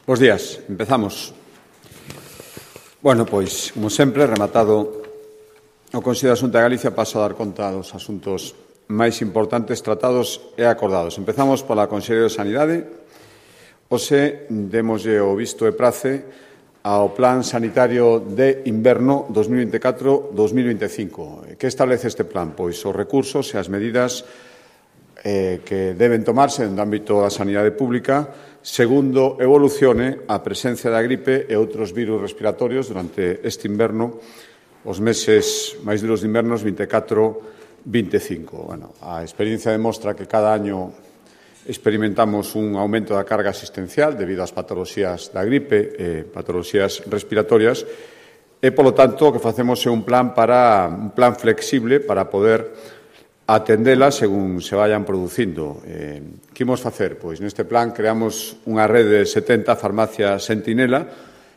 Bos días, empezamos. Bueno, pois, como sempre, rematado o Consello de Xunta de Galicia, paso a dar conta dos asuntos máis importantes tratados e acordados. Empezamos pola Consellería de Sanidade. Hoxe demoslle o visto e prace ao Plan Sanitario de Inverno 2024-2025. Que establece este plan? Pois os recursos e as medidas que deben tomarse no ámbito da sanidade pública segundo evolucione a presencia da gripe e outros virus respiratorios durante este inverno, os meses máis duros de invernos 24-25. Bueno, a experiencia demostra que cada año experimentamos un aumento da carga asistencial debido ás patoloxías da gripe e patoloxías respiratorias e, polo tanto, o que facemos é un plan flexible para poder atendela según se vayan producindo. Que imos facer? Pois neste plan creamos unha rede de 70 farmacias sentinela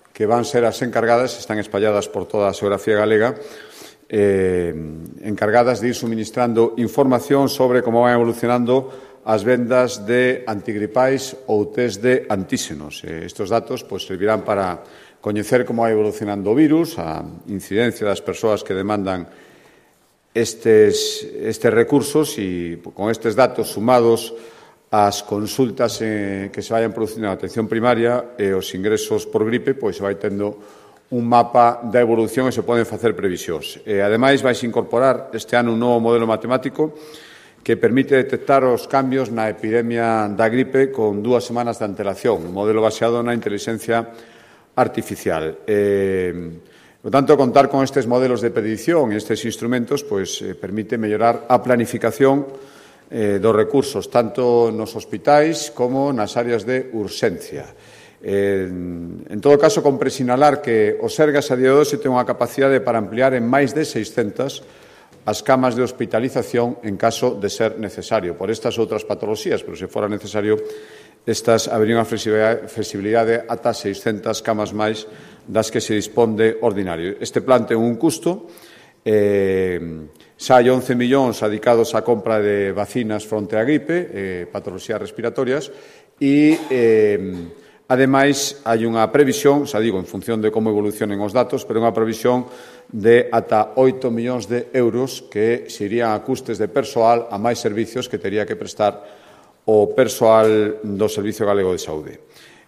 que van ser as encargadas, están espalladas por toda a xeografía galega, encargadas de ir suministrando información sobre como van evolucionando as vendas de antigripais ou test de antíxenos. Estes datos servirán para coñecer como vai evolucionando o virus, a incidencia das persoas que demandan estes recursos e con estes datos sumados ás consultas que se vayan producindo na atención primaria e os ingresos por gripe, pois se vai tendo un mapa da evolución e se poden facer previsións. Ademais, vais incorporar este ano un novo modelo matemático que permite detectar os cambios na epidemia da gripe con 2 semanas de antelación, un modelo baseado na inteligencia artificial. Por tanto, contar con estes modelos de predición e estes instrumentos permite mellorar a planificación dos recursos, tanto nos hospitais como nas áreas de urxencia. En todo caso, compre sinalar que o Sergas a día de hoxe ten unha capacidade para ampliar en máis de 600 as camas de hospitalización en caso de ser necesario, por estas outras patoloxías, pero se fora necesario, estas habería unha flexibilidade ata 600 camas máis das que se dispón de ordinario. Este plan ten un custo, xa hai 11 millóns dedicados á compra de vacinas fronte á gripe, patoloxías respiratorias, e, ademais, hai unha previsión, xa digo, en función de como evolucionen os datos, pero unha previsión de ata 8 millóns de euros que se irían a custes de persoal a máis servicios que tería que prestar o persoal do Servicio Galego de Saúde.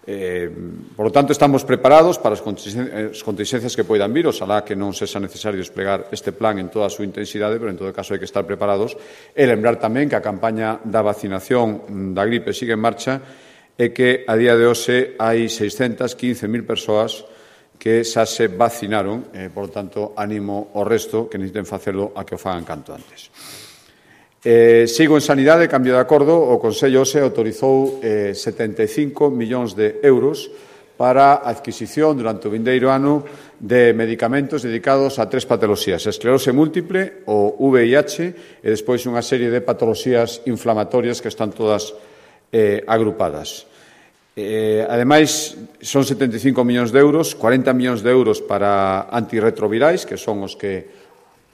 Por lo tanto, estamos preparados para as contingencias que poidan vir, oxalá que non sexa necesario desplegar este plan en toda a súa intensidade, pero en todo caso hai que estar preparados e lembrar tamén que a campaña da vacinación da gripe sigue en marcha e que a día de hoxe hai 615.000 persoas que xa se vacinaron, por lo tanto, animo ao resto que necesiten facelo a que o fagan canto antes. Sigo en sanidade, cambio de acordo, o Consello hoxe autorizou 75 millóns de euros para a adquisición durante o vindeiro ano de medicamentos dedicados a 3 patoloxías, a esclerose múltiple, o VIH e despois unha serie de patoloxías inflamatorias que están todas agrupadas. Ademais, son 75 millóns de euros, 40 millóns de euros para antirretrovirais, que son os que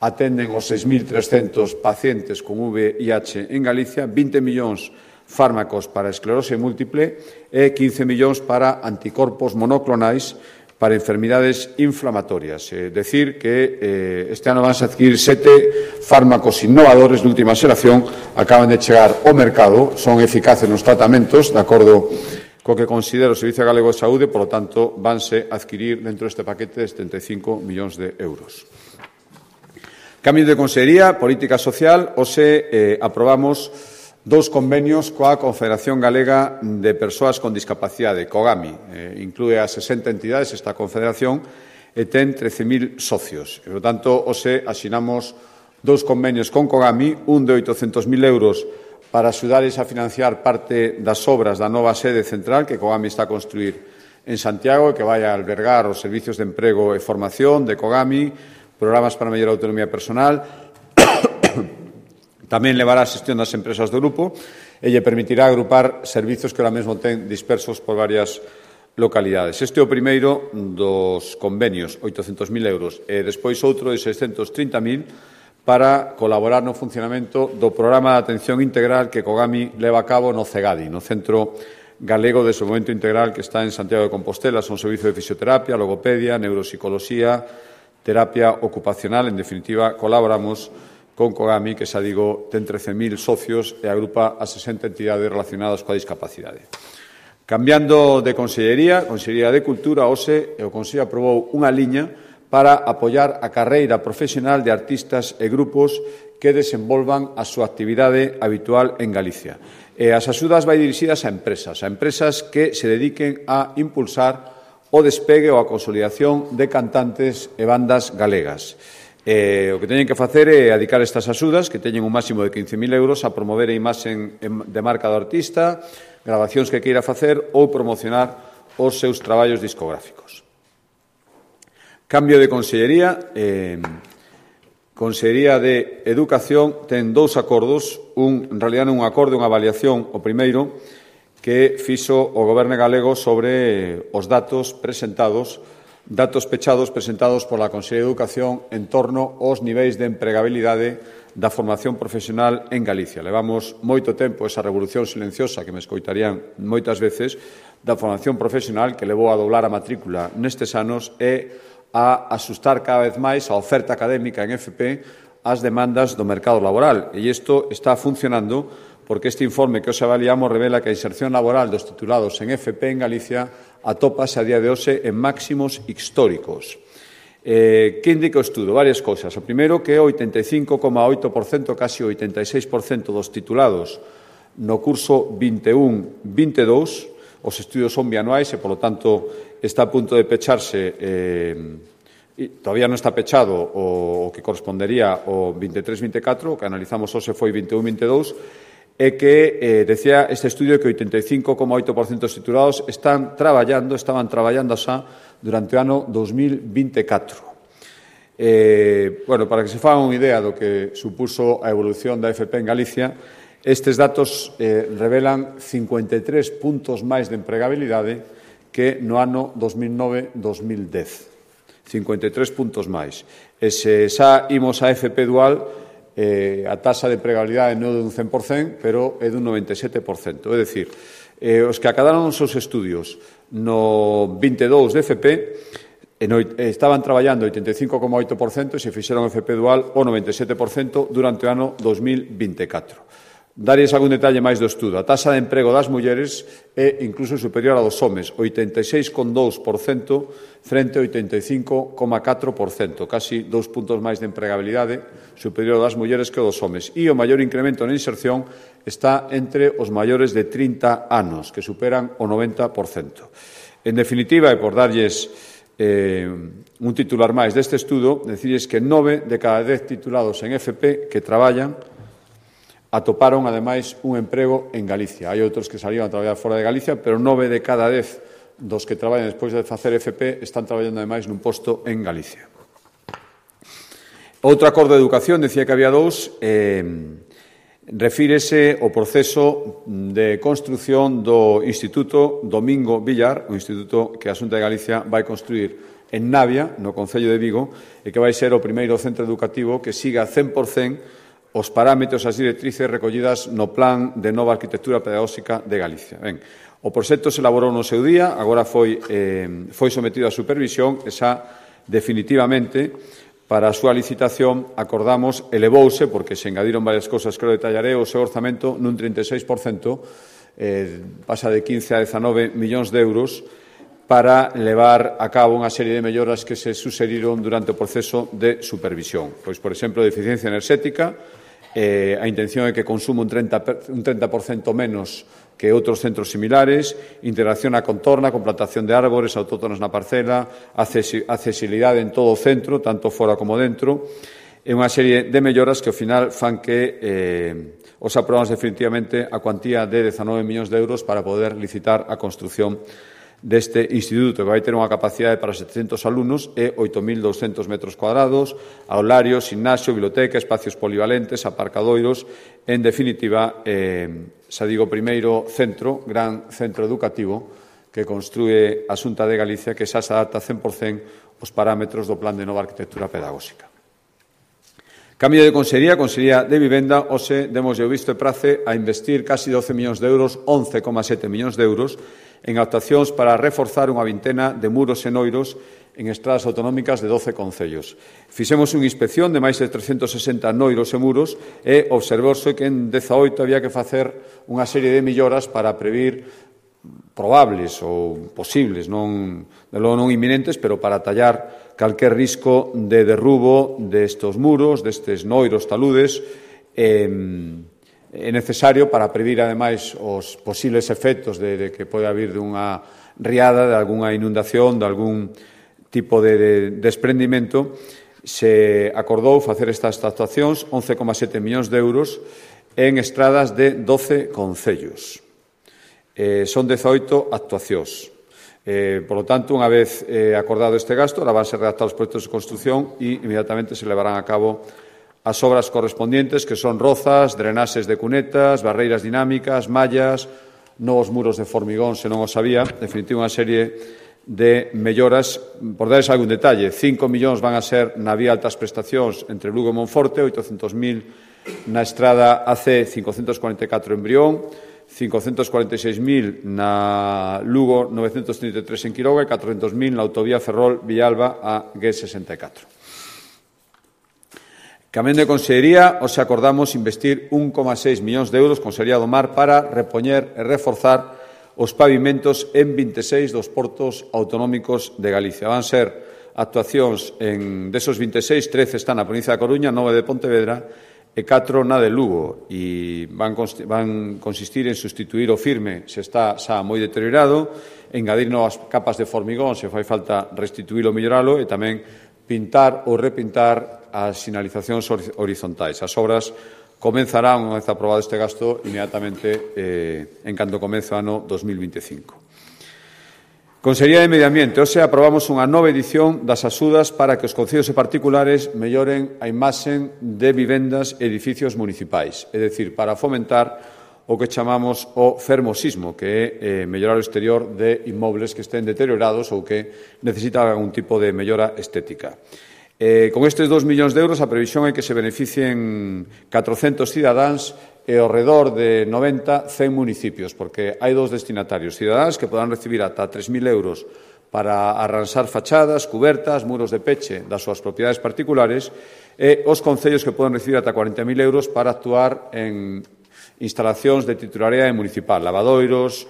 atenden os 6.300 pacientes con VIH en Galicia, 20 millóns fármacos para esclerose múltiple e 15 millóns para anticorpos monoclonais para enfermidades inflamatorias. Decir que este ano van a adquirir 7 fármacos innovadores de última xeración, acaban de chegar ao mercado, son eficaces nos tratamentos, de acordo co que considera o Servicio Galego de Saúde, por lo tanto, vanse a adquirir dentro deste paquete de 75 millóns de euros. Cambio de Consellería, Política Social, hoxe aprobamos 2 convenios coa Confederación Galega de Persoas con Discapacidade, COGAMI. Inclúe a 60 entidades esta confederación e ten 13.000 socios. Por tanto, hoxe asinamos 2 convenios con COGAMI, un de 800.000 euros para axudarles a financiar parte das obras da nova sede central que COGAMI está a construir en Santiago e que vai a albergar os servicios de emprego e formación de COGAMI, programas para mellorar a autonomía personal, tamén levará a xestión das empresas do grupo e lle permitirá agrupar servizos que ahora mesmo ten dispersos por varias localidades. Este é o primeiro dos convenios, 800.000 euros, e despois outro de 630.000 para colaborar no funcionamento do programa de atención integral que COGAMI leva a cabo no CEGADI, no Centro Galego de Desenvolvemento Integral que está en Santiago de Compostela. Son servicios de fisioterapia, logopedia, neuropsicología, terapia ocupacional. En definitiva, colaboramos con COGAMI, que, xa digo, ten 13.000 socios e agrupa a 60 entidades relacionadas coa discapacidade. Cambiando de Consellería de Cultura, hoxe o Consello aprobou unha liña para apoiar a carreira profesional de artistas e grupos que desenvolvan a súa actividade habitual en Galicia. As axudas vai dirixidas a empresas que se dediquen a impulsar o despegue ou a consolidación de cantantes e bandas galegas. O que teñen que facer é adicar estas axudas, que teñen un máximo de 15.000 euros, a promover a imaxe de marca do artista, gravacións que queira facer ou promocionar os seus traballos discográficos. Cambio de Consellería. Consellería de Educación ten 2 acordos, en realidad non un acordo, unha avaliación, o primeiro, que fixo o Goberno galego sobre os datos pechados presentados pola Consellería de Educación en torno aos niveis de empregabilidade da formación profesional en Galicia. Levamos moito tempo esa revolución silenciosa que me escoitarían moitas veces da formación profesional que levou a doblar a matrícula nestes anos e a asustar cada vez máis a oferta académica en FP ás demandas do mercado laboral. E isto está funcionando porque este informe que hoxe avaliamos revela que a inserción laboral dos titulados en FP en Galicia atópase a día de hoxe en máximos históricos. Que indica o estudo? Varias cousas. O primeiro, que o 85,8%, casi o 86% dos titulados no curso 21-22, os estudios son bianuais e, polo tanto, está a punto de pecharse, todavía non está pechado o que correspondería ao 23-24, o que analizamos hoxe foi 21-22, e que decía este estudio que o 85,8% dos titulados estaban traballando xa durante o ano 2024. Para que se fagan unha idea do que supuso a evolución da FP en Galicia, estes datos revelan 53 puntos máis de empregabilidade que no ano 2009-2010. 53 puntos máis. E se xa imos a FP dual, a taxa de empregabilidade non é dun 100%, pero é dun 97%. É dicir, os que acadaron os seus estudios no 22 de FP estaban traballando o 85,8% e se fixeron FP dual o 97% durante o ano 2024. Darías algún detalle máis do estudo. A taxa de emprego das mulleres é incluso superior a dos homes, 86,2% frente ao 85,4%, casi 2 puntos máis de empregabilidade superior das mulleres que o dos homes. E o maior incremento na inserción está entre os maiores de 30 anos, que superan o 90%. En definitiva, e por darlles un titular máis deste estudo, decirles que 9 de cada 10 titulados en FP que traballan atoparon, ademais, un emprego en Galicia. Hai outros que salían a traballar fora de Galicia, pero 9 de cada 10 dos que traballan despois de facer FP están traballando, ademais, nun posto en Galicia. Outro acordo de educación, decía que había 2, refírese ao proceso de construción do Instituto Domingo Villar, o instituto que a Xunta de Galicia vai construir en Navia, no Concello de Vigo, e que vai ser o primeiro centro educativo que siga 100% os parámetros, as directrices recollidas no Plan de Nova Arquitectura Pedagóxica de Galicia. O proxecto se elaborou no seu día, agora foi sometido a supervisión e xa definitivamente para a súa licitación acordamos, elevouse, porque se engadiron varias cousas que o detallaré, o seu orzamento nun 36%, pasa de 15 a 19 millóns de euros, para levar a cabo unha serie de melloras que se sucediron durante o proceso de supervisión. Pois, por exemplo, de eficiencia enerxética, a intención é que consume un 30% menos que outros centros similares, integración á contorna, con plantación de árbores autóctonos na parcela, accesibilidade en todo o centro, tanto fora como dentro, e unha serie de melloras que ao final fan que os aprobamos definitivamente a cuantía de 19 millóns de euros para poder licitar a construción deste instituto, que vai ter unha capacidade para 700 alumnos e 8.200 metros cuadrados, aularios, gimnasio, biblioteca, espacios polivalentes, aparcadoiros, en definitiva, xa digo, primeiro centro, gran centro educativo que construe a Xunta de Galicia, que xa se adapta 100% aos parámetros do Plan de Nova Arquitectura Pedagóxica. Cambio de Consellería, Consellería de Vivenda, hoxe demos o visto e prace a investir casi 12 millóns de euros, 11,7 millóns de euros, en actuacións para reforzar unha vintena de muros e noiros en estradas autonómicas de 12 concellos. Fixemos unha inspección de máis de 360 noiros e muros e observouse que en 18 había que facer unha serie de melloras para previr probables ou posibles, non inminentes, pero para tallar calquer risco de derrubo destes muros, destes noiros taludes, é necesario para previr, ademais, os posibles efectos de que pode haber dunha riada, de algunha inundación, de algún tipo de desprendimento. Se acordou facer estas actuacións, 11,7 millóns de euros, en estradas de 12 concellos. Son 18 actuacións. Por lo tanto, unha vez acordado este gasto, ahora van ser redactados os proxectos de construción e inmediatamente se levarán a cabo as obras correspondientes, que son rozas, drenaxes de cunetas, barreiras dinámicas, mallas, novos muros de formigón, se non os había, en definitiva, unha serie de melloras. Por darles algún detalle, 5 millóns van a ser na vía altas prestacións entre Lugo e Monforte, 800.000 na estrada AC 544 en Brión, 546.000 na Lugo 933 en Quiroga e 400.000 na autovía Ferrol-Villalba a G64. Cambiando de Consellería, hoxe acordamos investir 1,6 millóns de euros Consellería do Mar para repoñer e reforzar os pavimentos en 26 dos portos autonómicos de Galicia. Van ser actuacións desos 26, 13 están na provincia da Coruña, 9 de Pontevedra e 4 na de Lugo, e van consistir en sustituir o firme se está xa moi deteriorado, engadir novas capas de formigón se fai falta restituílo ou melloralo, e tamén pintar ou repintar as sinalizacións horizontais. As obras comenzarán, unha vez aprobado este gasto, inmediatamente en canto comece o ano 2025. Consellería de Medio Ambiente. Hoxe aprobamos unha nova edición das axudas para que os concellos e particulares melloren a imaxe de vivendas e edificios municipais, é dicir, para fomentar o que chamamos o fermosismo, que é mellorar o exterior de inmobles que estén deteriorados ou que necesitan algún tipo de mellora estética. Con estes 2 millóns de euros, a previsión é que se beneficien 400 cidadáns e ao redor de 90, 100 municipios, porque hai dous destinatarios, cidadáns que poderán recibir ata 3.000 euros para arranxar fachadas, cubertas, muros de peche das súas propiedades particulares, e os concellos que poden recibir ata 40.000 euros para actuar en instalacións de titularidade municipal, lavadoiros,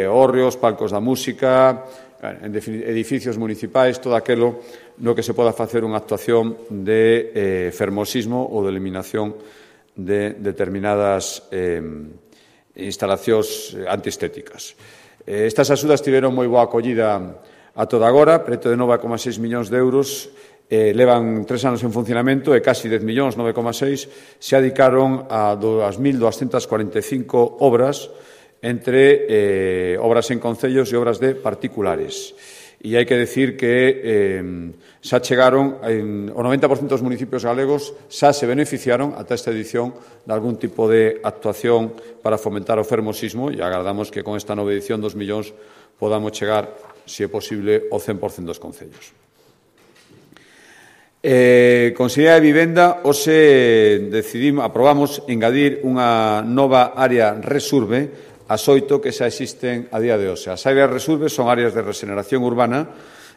hórreos, palcos da música, edificios municipais, todo aquilo no que se poda facer unha actuación de fermosismo ou de eliminación de determinadas instalacións antiestéticas. Estas axudas tiveron moi boa acollida a toda agora, preto de 9,6 millóns de euros, levan 3 anos en funcionamento e casi 10 millóns, 9,6, se adicaron a 2.245 obras entre obras en concellos e obras de particulares. E hai que decir que xa chegaron, o 90% dos municipios galegos xa se beneficiaron ata esta edición de algún tipo de actuación para fomentar o fermosismo, e agardamos que con esta nova edición, 2 millóns, podamos chegar, se é posible, ao 100% dos concellos. Consellería de Vivenda, hoxe aprobamos engadir unha nova área Resurbe as 8 que xa existen a día de hoxe. As áreas Resurbe son áreas de regeneración urbana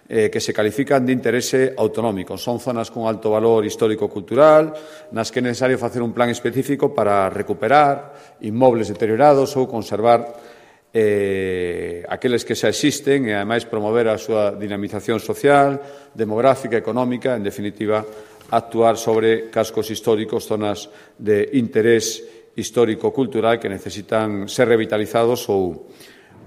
que se califican de interese autonómico. Son zonas con alto valor histórico-cultural, nas que é necesario facer un plan específico para recuperar inmobles deteriorados ou conservar aqueles que xa existen e, ademais, promover a súa dinamización social, demográfica, económica, en definitiva, actuar sobre cascos históricos, zonas de interés histórico-cultural que necesitan ser revitalizados ou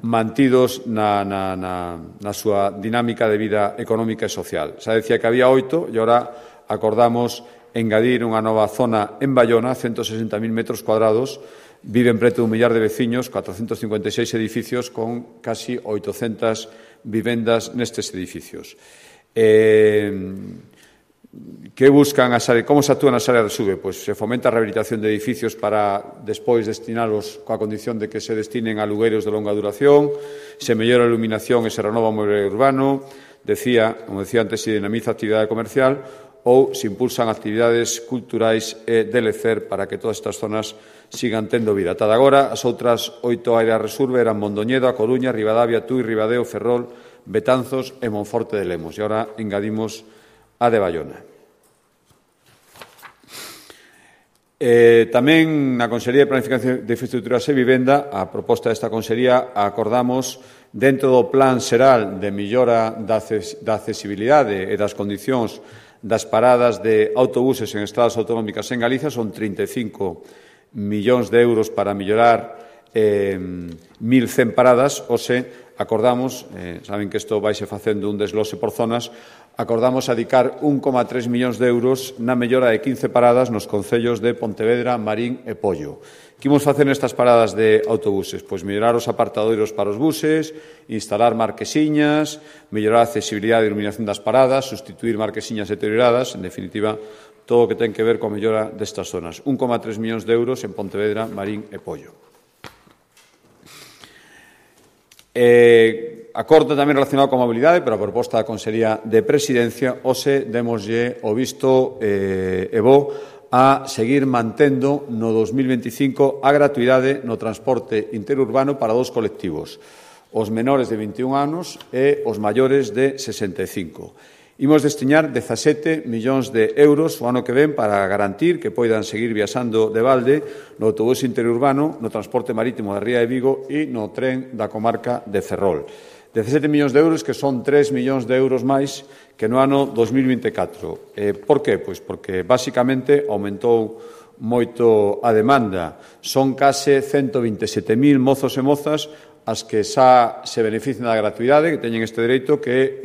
mantidos na súa dinámica de vida económica e social. Xa decía que había 8 e agora acordamos engadir unha nova zona en Bayona, 160.000 metros cuadrados, viven preto de 1 millar de veciños, 456 edificios con casi 800 vivendas nestes edificios. Que buscan as áreas, como se actúan as áreas de Resurbe? Pois se fomenta a rehabilitación de edificios para despois destinalos coa condición de que se destinen a alugueiros de longa duración, se mellora a iluminación e se renova o mobiliario urbano, como decía antes, se dinamiza a actividade comercial, ou se impulsan actividades culturais e de lecer para que todas estas zonas sigan tendo vida. Ata agora, as outras 8 áreas Resurbe eran Mondoñedo, A Coruña, Ribadavia, Tui, Ribadeo, Ferrol, Betanzos e Monforte de Lemos. E agora engadimos a de Baiona. Tamén na Consellería de Planificación de Infraestructuras e Vivenda, a proposta desta Consellería, acordamos dentro do Plan Xeral de mellora da accesibilidade e das condicións das paradas de autobuses en estradas autonómicas en Galicia. Son 35 millóns de euros para mellorar 1.100 paradas. Acordamos, saben que isto vaise facendo un desglose por zonas, acordamos adicar 1,3 millóns de euros na mellora de 15 paradas nos concellos de Pontevedra, Marín e Pollo. Que imos facer nestas paradas de autobuses? Pois mellorar os apartadoiros para os buses, instalar marquesiñas, mellorar a accesibilidade e iluminación das paradas, sustituir marquesiñas deterioradas, en definitiva, todo o que ten que ver coa mellora destas zonas. 1,3 millóns de euros en Pontevedra, Marín e Pollo. Acordo tamén relacionado coa mobilidade, pero a proposta da Consellería de Presidencia, demoslle o visto e bo a seguir mantendo no 2025 a gratuidade no transporte interurbano para dos colectivos, os menores de 21 anos e os maiores de 65. Imos destinar 17 millóns de euros o ano que ven para garantir que poidan seguir viaxando de balde no autobús interurbano, no transporte marítimo da Ría de Vigo e no tren da comarca de Ferrol. 17 millóns de euros que son 3 millóns de euros máis que no ano 2024. Por qué? Pois porque, basicamente, aumentou moito a demanda. Son case 127.000 mozos e mozas as que xa se benefician da gratuidade, que teñen este dereito que...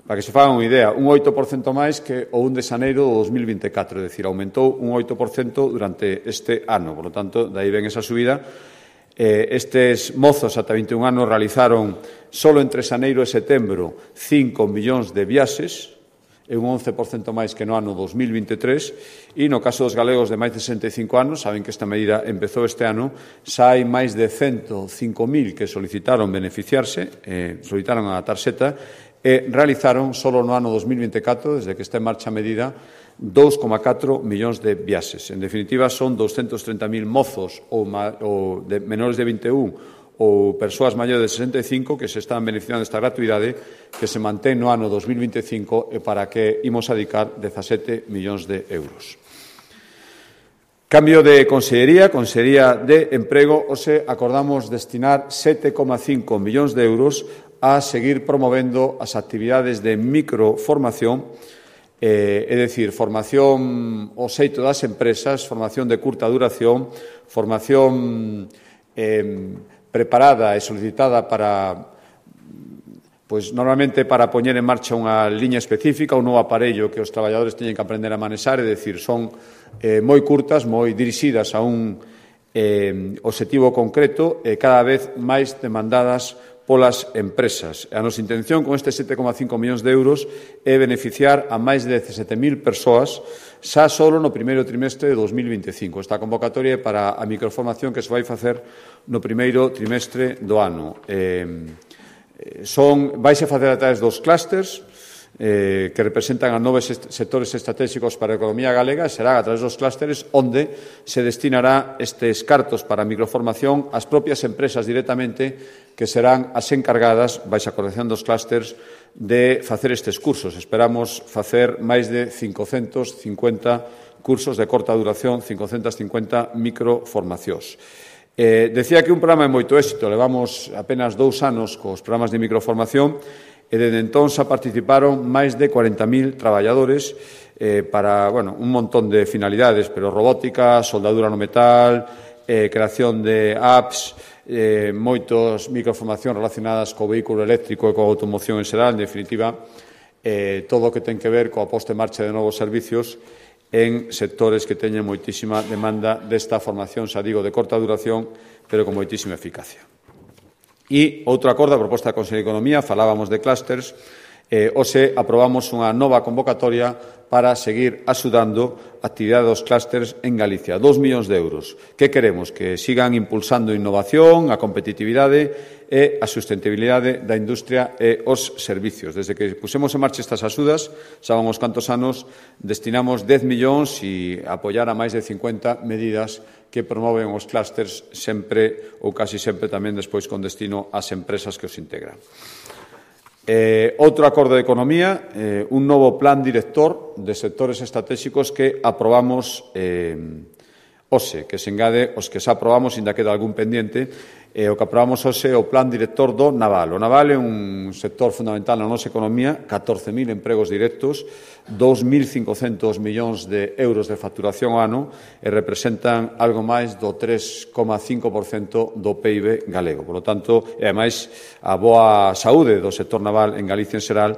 Para que se fagan unha idea, un 8% máis que o 1 de xaneiro do 2024, é dicir, aumentou un 8% durante este ano. Por lo tanto, de aí ven esa subida. Estes mozos ata 21 anos realizaron, solo entre xaneiro e setembro, 5 millóns de viaxes, é un 11% máis que no ano 2023, e no caso dos galegos de máis de 65 anos, saben que esta medida empezou este ano, xa hai máis de 105.000 que solicitaron beneficiarse, solicitaron a tarxeta, e realizaron, solo no ano 2024, desde que está en marcha a medida, 2,4 millóns de viaxes. En definitiva, son 230.000 mozos ou de menores de 21 ou persoas maiores de 65 que se están beneficiando desta gratuidade que se mantén no ano 2025 e para que imos adicar 17 millóns de euros. Cambio de Consellería de Emprego, acordamos destinar 7,5 millóns de euros a seguir promovendo as actividades de microformación, é dicir, formación ao xeito das empresas, formación de curta duración, formación preparada e solicitada para, pois, normalmente para poñer en marcha unha liña específica, un novo aparello que os traballadores teñen que aprender a manexar, é dicir, son moi curtas, moi dirixidas a un obxectivo concreto e cada vez máis demandadas polas empresas. A nosa intención con este 7,5 millóns de euros é beneficiar a máis de 17.000 persoas xa solo no primeiro trimestre de 2025. Esta convocatoria é para a microformación que se vai facer no primeiro trimestre do ano. Vaise facer a través dos clústers que representan a 9 sectores estratégicos para a economía galega, e será a través dos clústeres onde se destinará estes cartos para a microformación ás propias empresas directamente, que serán as encargadas, baixo a coordinación dos clústeres, de facer estes cursos. Esperamos facer máis de 550 cursos de corta duración, 550 microformacións. Decía que un programa de moito éxito, levamos apenas 2 anos cos programas de microformación, e desde entón xa participaron máis de 40.000 traballadores para un montón de finalidades, pero robótica, soldadura no metal, creación de apps, moitos microformacións relacionadas co vehículo eléctrico e coa automoción en xeral, en definitiva, todo o que ten que ver coa posta en marcha de novos servicios en sectores que teñen moitísima demanda desta formación, xa digo, de corta duración, pero con moitísima eficacia. E outro acordo, a proposta da Consellería de Economía, falábamos de clústers, Hoxe aprobamos unha nova convocatoria para seguir axudando a actividade dos clústeres en Galicia. 2 millóns de euros. Que queremos? Que sigan impulsando a innovación, a competitividade e a sustentabilidade da industria e os servicios. Desde que pusemos en marcha estas axudas, sabemos cantos anos, destinamos 10 millóns e apoiar a máis de 50 medidas que promoven os clústeres sempre ou casi sempre tamén despois con destino ás empresas que os integran. Outro acordo de economía, un novo plan director de sectores estratégicos que aprobamos hoxe, que se engade os que xa aprobamos, ainda queda algún pendiente. O que aprobamos hoxe é o plan director do naval. O naval é un sector fundamental na nosa economía, 14.000 empregos directos, 2.500 millóns de euros de facturación ao ano e representan algo máis do 3,5% do PIB galego. Por lo tanto, e ademais, a boa saúde do sector naval en Galicia en xeral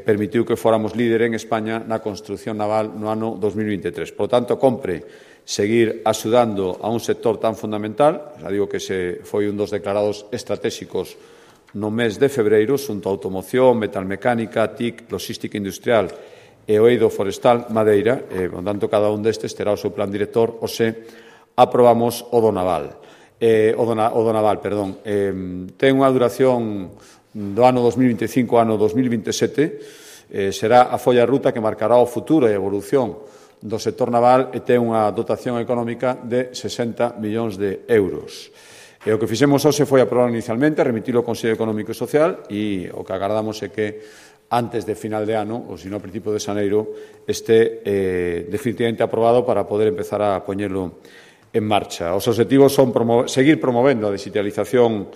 permitiu que fóramos líder en España na construción naval no ano 2023. Por lo tanto, compre seguir axudando a un sector tan fundamental. Já digo que foi un dos declarados estratégicos no mes de febreiro, xunto a automoción, metalmecánica, TIC, logística industrial e o eido forestal Madeira. Por tanto, cada un destes terá o seu plan director. Hoxe aprobamos o do naval. Ten unha duración do ano 2025 ao ano 2027. Será a folla de ruta que marcará o futuro e a evolución do sector naval e ten unha dotación económica de 60 millóns de euros. E o que fixemos hoxe foi aprobar inicialmente, remitilo ao Consello Económico e Social e o que agardamos é que antes de final de ano, ou se non a principio de xaneiro, este definitivamente aprobado para poder empezar a poñelo en marcha. Os objetivos son seguir promovendo a digitalización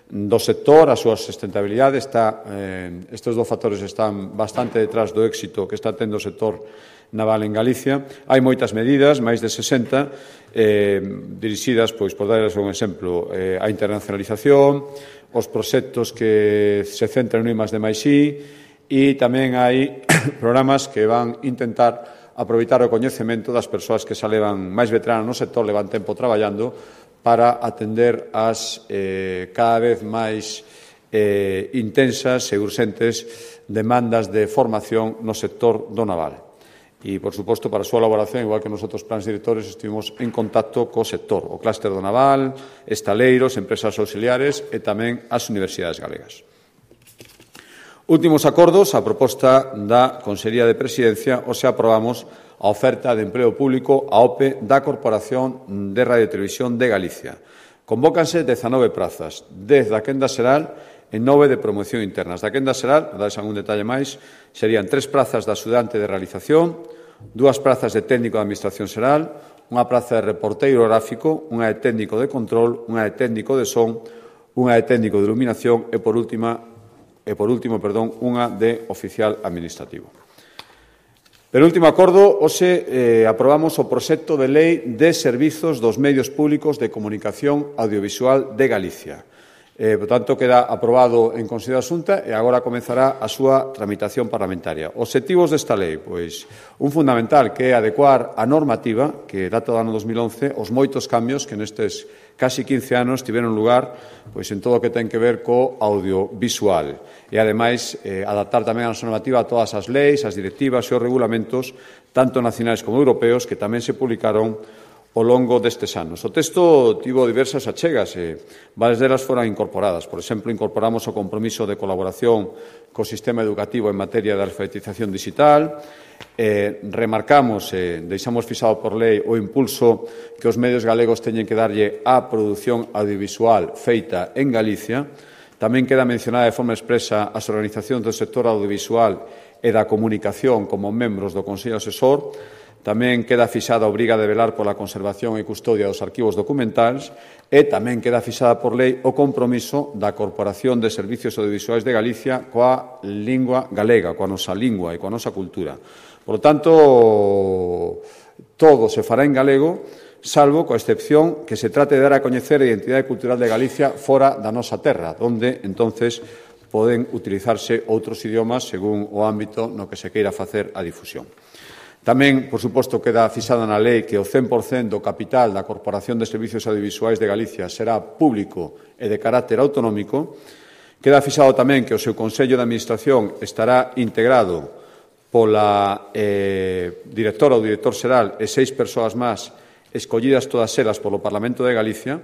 do sector, a súa sustentabilidade. Estes dos factores están bastante detrás do éxito que está tendo o sector naval en Galicia. Hai moitas medidas, máis de 60, dirixidas, pois, por darles un exemplo, a internacionalización, os proxectos que se centran no I+D+I e tamén hai programas que van intentar aproveitar o coñecemento das persoas que xa levan máis veteranas no sector, levan tempo traballando para atender as cada vez máis intensas e urxentes demandas de formación no sector do naval. E, por suposto, para a súa elaboración, igual que nos outros plans directores, estivemos en contacto co sector, o clúster do naval, estaleiros, empresas auxiliares e tamén as universidades galegas. Últimos acordos, a proposta da Consellería de Presidencia, hoxe aprobamos a oferta de emprego público a OPE da Corporación de Radio e Televisión de Galicia. Convócanse 19 prazas, 10 da quenda xeral e 9 de promoción internas. Da quenda xeral, para darse algún detalle máis, serían 3 prazas de axudante de realización, 2 prazas de técnico de administración xeral, unha praza de reporteiro gráfico, unha de técnico de control, unha de técnico de son, unha de técnico de iluminación e, por último, unha de oficial administrativo. Pero último acordo, hoxe aprobamos o proxecto de lei de servizos dos medios públicos de comunicación audiovisual de Galicia. Por tanto, queda aprobado en Consello da Xunta e agora comezará a súa tramitación parlamentaria. Obxectivos desta lei, pois, un fundamental que é adecuar a normativa que data do ano 2011 os moitos cambios que nestes casi 15 anos tiveron lugar pois en todo o que ten que ver co audiovisual e, ademais, adaptar tamén a nosa normativa a todas as leis, as directivas e os regulamentos, tanto nacionais como europeos, que tamén se publicaron ao longo destes anos. O texto tivo diversas achegas e varias delas foran incorporadas. Por exemplo, incorporamos o compromiso de colaboración co sistema educativo en materia de alfabetización digital, remarcamos e deixamos fixado por lei o impulso que os medios galegos teñen que darlle á produción audiovisual feita en Galicia. Tamén queda mencionada de forma expresa as organizacións do sector audiovisual e da comunicación como membros do Consello Asesor. Tamén queda fixada a obriga de velar pola conservación e custodia dos arquivos documentais e tamén queda fixada por lei o compromiso da Corporación de Servicios Audiovisuais de Galicia coa lingua galega, coa nosa lingua e coa nosa cultura. Por lo tanto, todo se fará en galego, salvo coa excepción que se trate de dar a coñecer a identidade cultural de Galicia fora da nosa terra, onde, entonces, poden utilizarse outros idiomas según o ámbito no que se queira facer a difusión. Tamén, por suposto, queda fixada na lei que o 100% do capital da Corporación de Servicios Audiovisuais de Galicia será público e de carácter autonómico Queda fixado tamén que o seu Consello de Administración estará integrado pola directora ou director xeral e 6 persoas máis escollidas todas elas polo Parlamento de Galicia.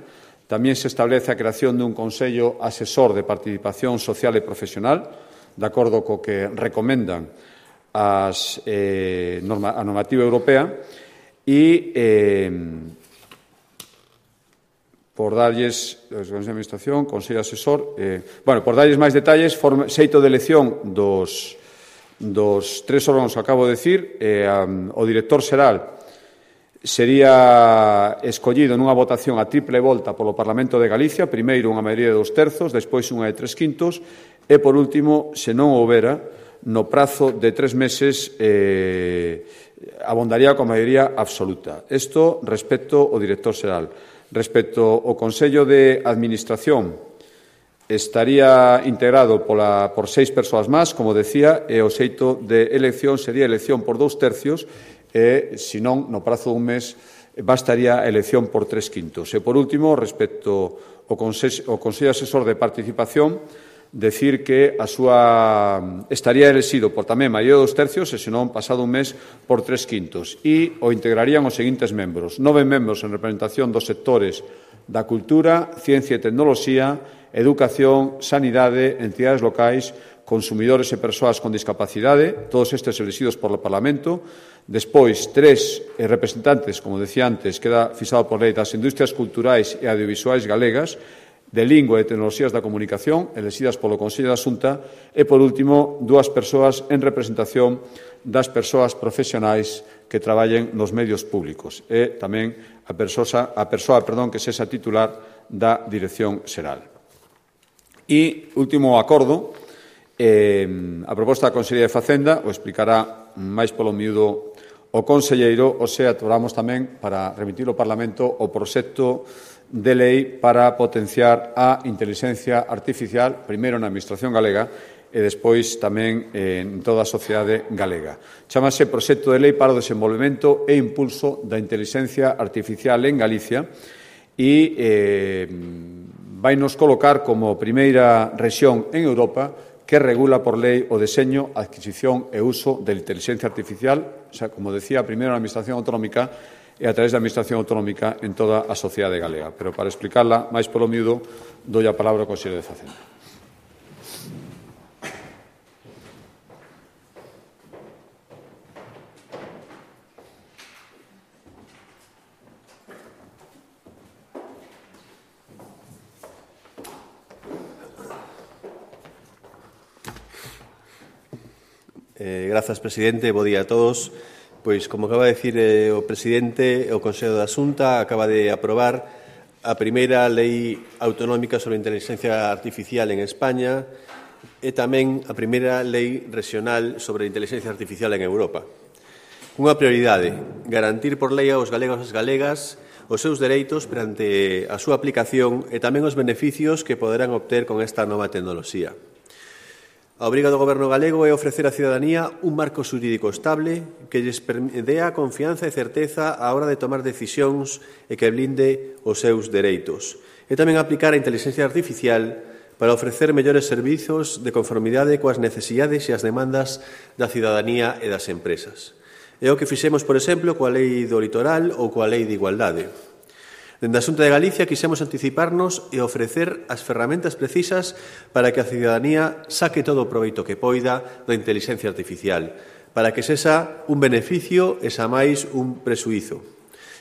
Tamén se establece a creación dun Consello Asesor de Participación Social e Profesional, de acordo co que recomendan a normativa europea, e por darlles Consello de Administración, Consello Asesor, por darlles máis detalles, xeito de elección dos 3 órganos que acabo de decir, o director xeral sería escollido nunha votación a triple volta polo Parlamento de Galicia, primeiro unha maioría de 2/3, despois unha de 3/5, e, por último, se non houbera, no prazo de 3 meses abondaría coa maioría absoluta. Isto respecto ao director xeral. Respecto ao Consello de Administración, estaría integrado por 6 persoas máis, como decía, e o xeito de elección sería elección por 2/3, e, se non, no prazo dun mes, bastaría a elección por 3/5. E, por último, respecto ao Consello Asesor de Participación, decir que estaría elexido por tamén maioría de 2/3, e, se non, pasado un mes, por 3/5. E o integrarían os seguintes membros: 9 membros en representación dos sectores da cultura, ciencia e tecnoloxía, educación, sanidade, entidades locais, consumidores e persoas con discapacidade, todos estes elexidos polo Parlamento. Despois, 3 representantes, como decía antes, queda fixado por lei, das industrias culturais e audiovisuais galegas, de lingua e tecnoloxías da comunicación, elexidas polo Consello da Xunta, e, por último, 2 persoas en representación das persoas profesionais que traballen nos medios públicos, e tamén a persoa que sexa titular da Dirección Xeral. E, último acordo, a proposta da Consellería de Facenda o explicará máis polo miúdo o conselleiro, o sea, atuamos tamén para remitir ao Parlamento o proxecto de lei para potenciar a inteligencia artificial, primeiro na Administración galega e despois tamén en toda a sociedade galega. Chámase Proxecto de Lei para o Desenvolvemento e Impulso da Inteligencia Artificial en Galicia e vai nos colocar como primeira rexión en Europa que regula por lei o deseño, adquisición e uso da inteligencia artificial, o sea, como decía, primeiro na Administración Autonómica e a través da Administración Autonómica en toda a sociedade galega. Pero para explicarla máis polo miúdo, dou a palabra ao Conselleiro de Facenda. Grazas, presidente. Bo día a todos. Pois, como acaba de dicir o presidente, o Consello da Xunta acaba de aprobar a primeira lei autonómica sobre a inteligencia artificial en España e tamén a primeira lei regional sobre a inteligencia artificial en Europa. Unha prioridade, garantir por lei aos galegos e as galegas os seus dereitos perante a súa aplicación e tamén os beneficios que poderán obter con esta nova tecnoloxía. A obriga do Goberno galego é ofrecer á cidadanía un marco xurídico estable que lles dea confianza e certeza á hora de tomar decisións e que blinde os seus dereitos. E tamén aplicar a inteligencia artificial para ofrecer mellores servizos de conformidade coas necesidades e as demandas da cidadanía e das empresas. É o que fixemos, por exemplo, coa Lei do Litoral ou coa Lei de Igualdade. Dende a Xunta de Galicia quixemos anticiparnos e ofrecer as ferramentas precisas para que a cidadanía saque todo o proveito que poida da inteligencia artificial, para que sexa un beneficio e xa máis un presuízo.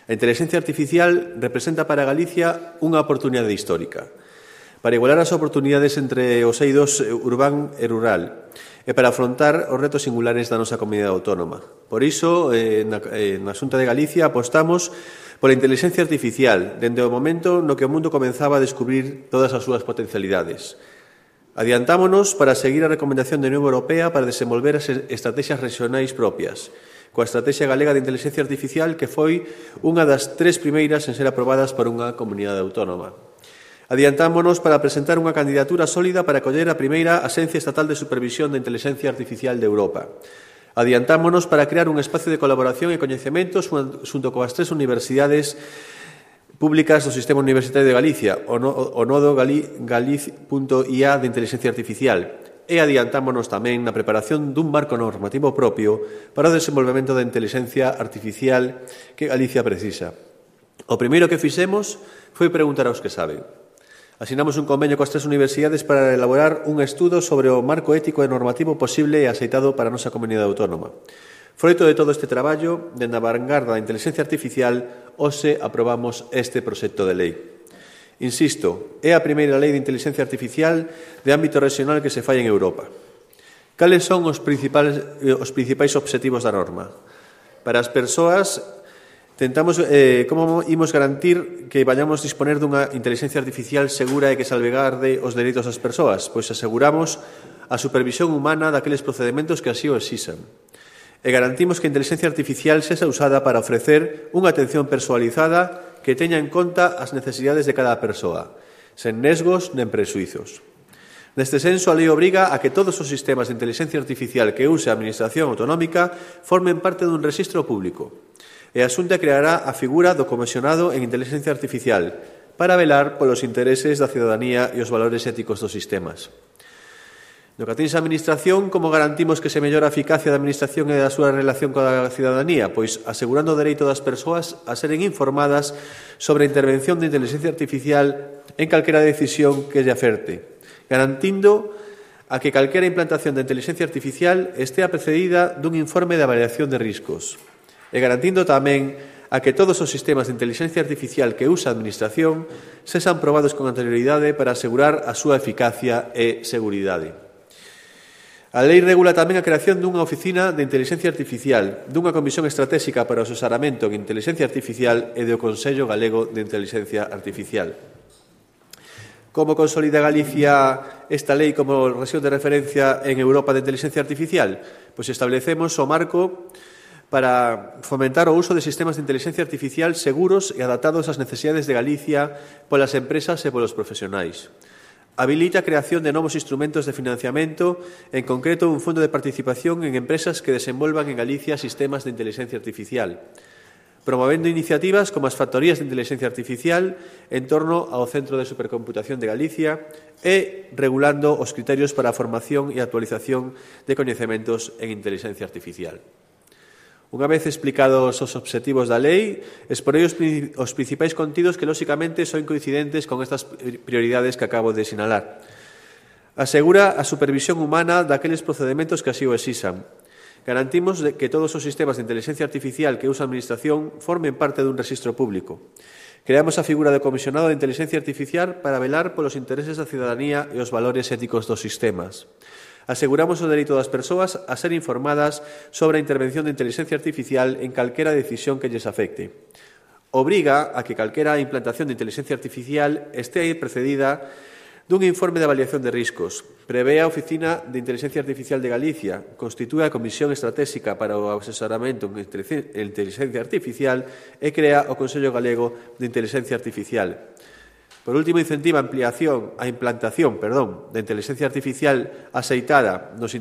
A inteligencia artificial representa para Galicia unha oportunidade histórica, para igualar as oportunidades entre os eidos urbán e rural, e para afrontar os retos singulares da nosa comunidade autónoma. Por iso, na Xunta de Galicia apostamos pola inteligencia artificial, dende o momento no que o mundo comenzaba a descubrir todas as súas potencialidades. Adiantámonos para seguir a recomendación da Unión Europea para desenvolver as estrategias regionais propias, coa Estrategia Galega de Inteligencia Artificial, que foi unha das 3 primeiras en ser aprobadas por unha comunidade autónoma. Adiantámonos para presentar unha candidatura sólida para acoller a primeira Axencia Estatal de Supervisión da Inteligencia Artificial de Europa. Adiantámonos para crear un espacio de colaboración e coñecementos xunto coas 3 universidades públicas do Sistema Universitario de Galicia, o nodo galiz.ia de Inteligencia Artificial, e adiantámonos tamén na preparación dun marco normativo propio para o desenvolvemento da inteligencia artificial que Galicia precisa. O primeiro que fixemos foi preguntar aos que saben. Asinamos un convenio coas 3 universidades para elaborar un estudo sobre o marco ético e normativo posible e aceitado para a nosa comunidade autónoma. Froito de todo este traballo, dende a vanguarda da inteligencia artificial, hoxe aprobamos este proxecto de lei. Insisto, é a primeira lei de inteligencia artificial de ámbito regional que se fai en Europa. Cales son os principais obxectivos da norma? Para as persoas, tentamos como imos garantir que vayamos disponer dunha inteligencia artificial segura e que salvegarde os dereitos das persoas, pois aseguramos a supervisión humana daqueles procedementos que así o exixan. E garantimos que a inteligencia artificial sexa usada para ofrecer unha atención persoalizada que teña en conta as necesidades de cada persoa, sen nesgos nen prexuizos. Neste senso, a lei obriga a que todos os sistemas de inteligencia artificial que use a Administración Autonómica formen parte dun rexistro público. E a Xunta creará a figura do comisionado en inteligencia artificial para velar polos intereses da cidadanía e os valores éticos dos sistemas. No que atinse a Administración, como garantimos que se mellora a eficacia da Administración e da súa relación coa cidadanía? Pois asegurando o dereito das persoas a seren informadas sobre a intervención de inteligencia artificial en calquera decisión que lle aferte, garantindo a que calquera implantación de inteligencia artificial estea precedida dun informe de avaliación de riscos, e garantindo tamén a que todos os sistemas de inteligencia artificial que usa a Administración sexan probados con anterioridade para asegurar a súa eficacia e seguridade. A lei regula tamén a creación dunha oficina de inteligencia artificial, dunha comisión estratégica para o asesoramento en inteligencia artificial e do Consello Galego de Inteligencia Artificial. Como consolida Galicia esta lei como rexión de referencia en Europa de inteligencia artificial? Pois establecemos o marco para fomentar o uso de sistemas de inteligencia artificial seguros e adaptados ás necesidades de Galicia polas empresas e polos profesionais. Habilita a creación de novos instrumentos de financiamento, en concreto un fondo de participación en empresas que desenvolvan en Galicia sistemas de inteligencia artificial, promovendo iniciativas como as factorías de inteligencia artificial en torno ao Centro de Supercomputación de Galicia e regulando os criterios para a formación e actualización de coñecementos en inteligencia artificial. Unha vez explicados os obxectivos da lei, exporei os principais contidos que, lóxicamente, son coincidentes con estas prioridades que acabo de sinalar. Asegura a supervisión humana daqueles procedementos que así o exixan. Garantimos que todos os sistemas de inteligencia artificial que usa a Administración formen parte dun rexistro público. Creamos a figura de comisionado de inteligencia artificial para velar polos intereses da cidadanía e os valores éticos dos sistemas. Aseguramos o dereito das persoas a ser informadas sobre a intervención de inteligencia artificial en calquera decisión que lles afecte. Obriga a que calquera implantación de inteligencia artificial este precedida dun informe de avaliación de riscos. Prevé a Oficina de Inteligencia Artificial de Galicia, constitúe a Comisión Estratégica para o asesoramento en inteligencia artificial e crea o Consello Galego de Inteligencia Artificial. Por último, incentiva a implantación de inteligencia artificial axeitada aos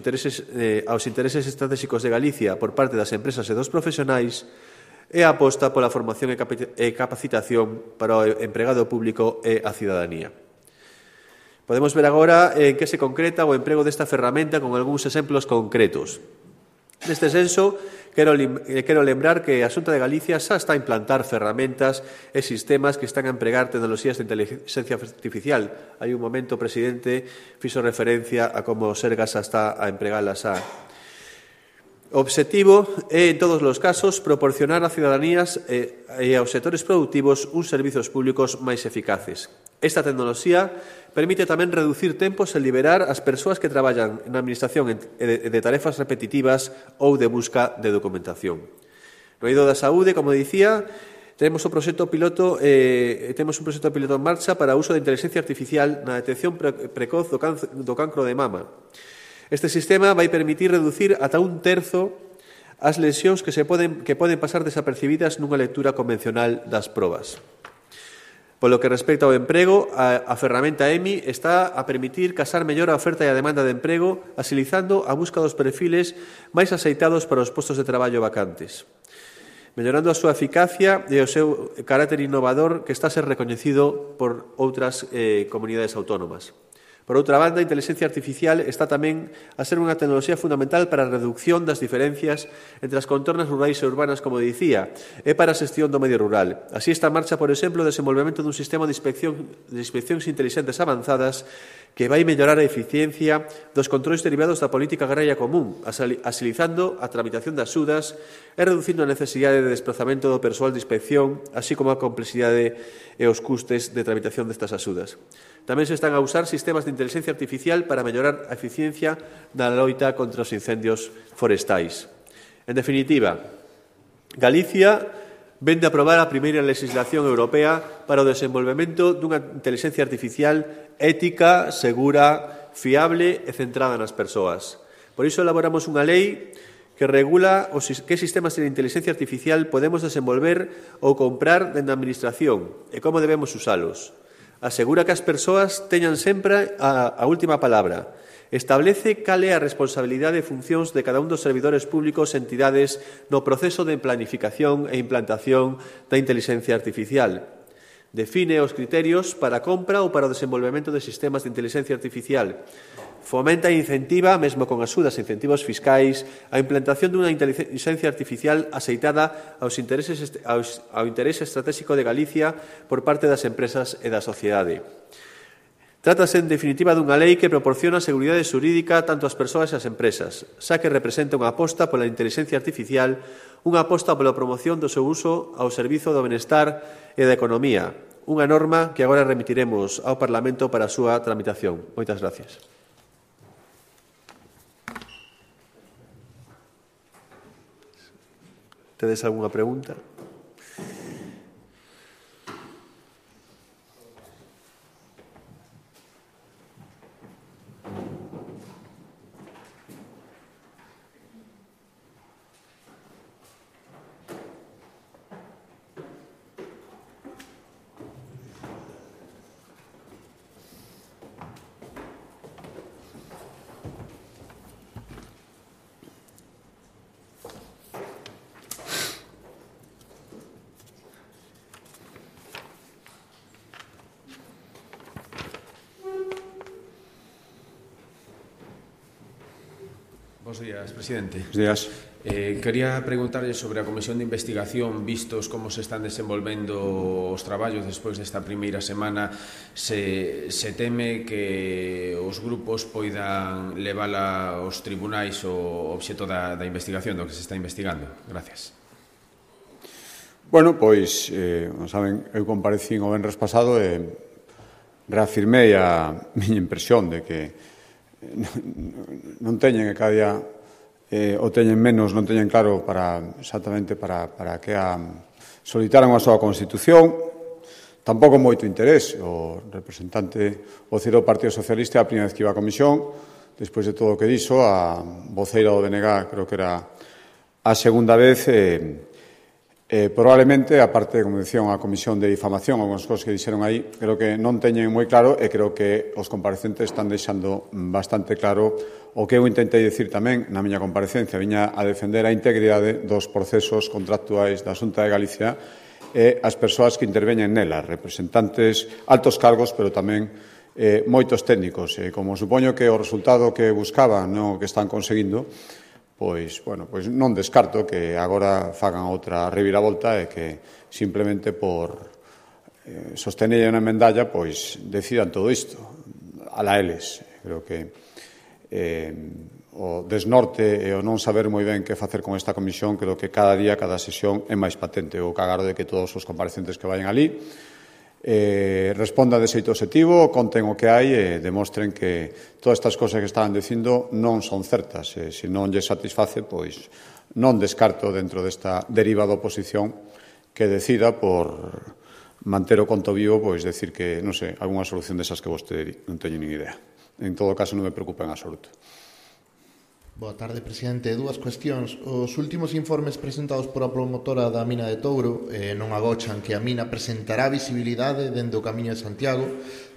intereses estratégicos de Galicia por parte das empresas e dos profesionais e a aposta pola formación e capacitación para o empregado público e a cidadanía. Podemos ver agora en que se concreta o emprego desta ferramenta con algúns exemplos concretos. Neste senso, quero lembrar que a Xunta de Galicia xa está a implantar ferramentas e sistemas que están a empregar tecnoloxías de inteligencia artificial. Hai un momento, o presidente fixo referencia a como o Sergas está a empregalas xa. O obxectivo é, en todos os casos, proporcionar a ciudadanías e aos sectores productivos uns servizos públicos máis eficaces. Esta tecnoloxía permite tamén reducir tempos e liberar as persoas que traballan na administración de tarefas repetitivas ou de busca de documentación. No eido da saúde, como dicía, temos un proxecto piloto en marcha para o uso de inteligencia artificial na detección precoz do cancro de mama. Este sistema vai permitir reducir ata un terzo as lesións que poden pasar desapercibidas nunha lectura convencional das probas. Polo que respecta ao emprego, a ferramenta EMI está a permitir casar mellor a oferta e a demanda de emprego, asilizando a busca dos perfiles máis axeitados para os postos de traballo vacantes. mellorando a súa eficacia e o seu carácter innovador que está a ser recoñecido por outras comunidades autónomas. Por outra banda, a inteligencia artificial está tamén a ser unha tecnoloxía fundamental para a reducción das diferencias entre as contornas rurais e urbanas, como dicía, e para a xestión do medio rural. Así está en marcha, por exemplo, o desenvolvemento dun sistema de inspeccións intelixentes avanzadas que vai mellorar a eficiencia dos controis derivados da política agraria común, agilizando a tramitación das axudas e reducindo a necesidade de desplazamento do persoal de inspección, así como a complexidade e os custes de tramitación destas axudas. Tamén se están a usar sistemas de inteligencia artificial para mellorar a eficiencia na loita contra os incendios forestais. En definitiva, Galicia vén de aprobar a primeira legislación europea para o desenvolvemento dunha inteligencia artificial ética, segura, fiable e centrada nas persoas. Por iso elaboramos unha lei que regula que sistemas de inteligencia artificial podemos desenvolver ou comprar dende a Administración e como debemos usalos. Asegura que as persoas teñan sempre a última palabra. Establece cal é a responsabilidade e funcións de cada un dos servidores públicos e entidades no proceso de planificación e implantación da inteligencia artificial. Define os criterios para a compra ou para o desenvolvemento de sistemas de inteligencia artificial. Fomenta e incentiva, mesmo con axudas e incentivos fiscais, a implantación dunha inteligencia artificial aceitada ao interese estratégico de Galicia por parte das empresas e da sociedade. Trátase, en definitiva, dunha lei que proporciona seguridade xurídica tanto ás persoas e ás empresas, xa que representa unha aposta pola inteligencia artificial, unha aposta pola promoción do seu uso ao servizo do benestar e da economía, unha norma que agora remitiremos ao Parlamento para a súa tramitación. Moitas gracias. ¿Tedes algunha pregunta? Bos días, presidente. Bos días. Quería preguntarlle sobre a Comisión de Investigación, vistos como se están desenvolvendo os traballos despois desta primeira semana, se teme que os grupos poidan levala aos tribunais o obxecto da investigación, do que se está investigando. Gracias. Bueno, pois, saben, eu comparecín o venres pasado e reafirmei a miña impresión de que non teñen e cada día o teñen menos, non teñen claro exactamente para que solicitaran a súa Constitución, tampouco moito interés. O representante, o CIR do Partido Socialista, a primeira vez que iba a comisión, despois de todo o que dixo, a voceira do BNG, creo que era a segunda vez, probablemente, aparte, como dicía, unha comisión de difamación, algunhas cosas que dixeron aí, creo que non teñen moi claro e creo que os comparecentes están deixando bastante claro o que eu intentei dicir tamén na miña comparecencia. Viña a defender a integridade dos procesos contractuais da Xunta de Galicia e as persoas que interveñen nela, representantes, altos cargos, pero tamén moitos técnicos. Como supoño que o resultado que buscaban non o que están conseguindo, pois non descarto que agora fagan outra reviravolta e que simplemente por sostener unha medalla pois decidan todo isto a la eles. Creo que o desnorte e o non saber moi ben que facer con esta comisión, creo que cada día, cada sesión é máis patente. O cagaro de que todos os comparecentes que vayan ali respondan de xeito obxectivo, conten o que hai e demostren que todas estas cosas que estaban dicindo non son certas. Se non lle satisface, pois non descarto dentro desta deriva da oposición que decida por manter o conto vivo, pois decir que, non sei, algunha solución desas que vostede non teño nin idea. En todo caso, non me preocupa en absoluto. Boa tarde, presidente. Dúas cuestións. Os últimos informes presentados por a promotora da mina de Touro non agochan que a mina presentará visibilidade dende o Camiño de Santiago,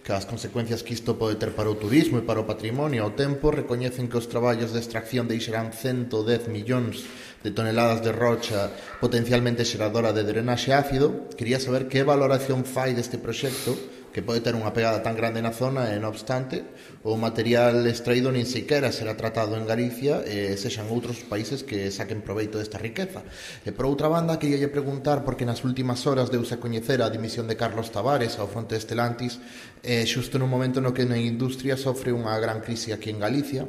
que as consecuencias que isto pode ter para o turismo e para o patrimonio ao tempo recoñecen que os traballos de extracción deixarán 110 millóns de toneladas de rocha potencialmente xeradora de drenaxe ácido. Quería saber que valoración fai deste proxecto, que pode ter unha pegada tan grande na zona e, non obstante, o material extraído nin sequera será tratado en Galicia e sexan outros países que saquen proveito desta riqueza. E, por outra banda, queria preguntar, porque nas últimas horas deuse a coñecer a dimisión de Carlos Tavares ao fronte de Stellantis, xusto nun momento no que a industria sofre unha gran crise aquí en Galicia,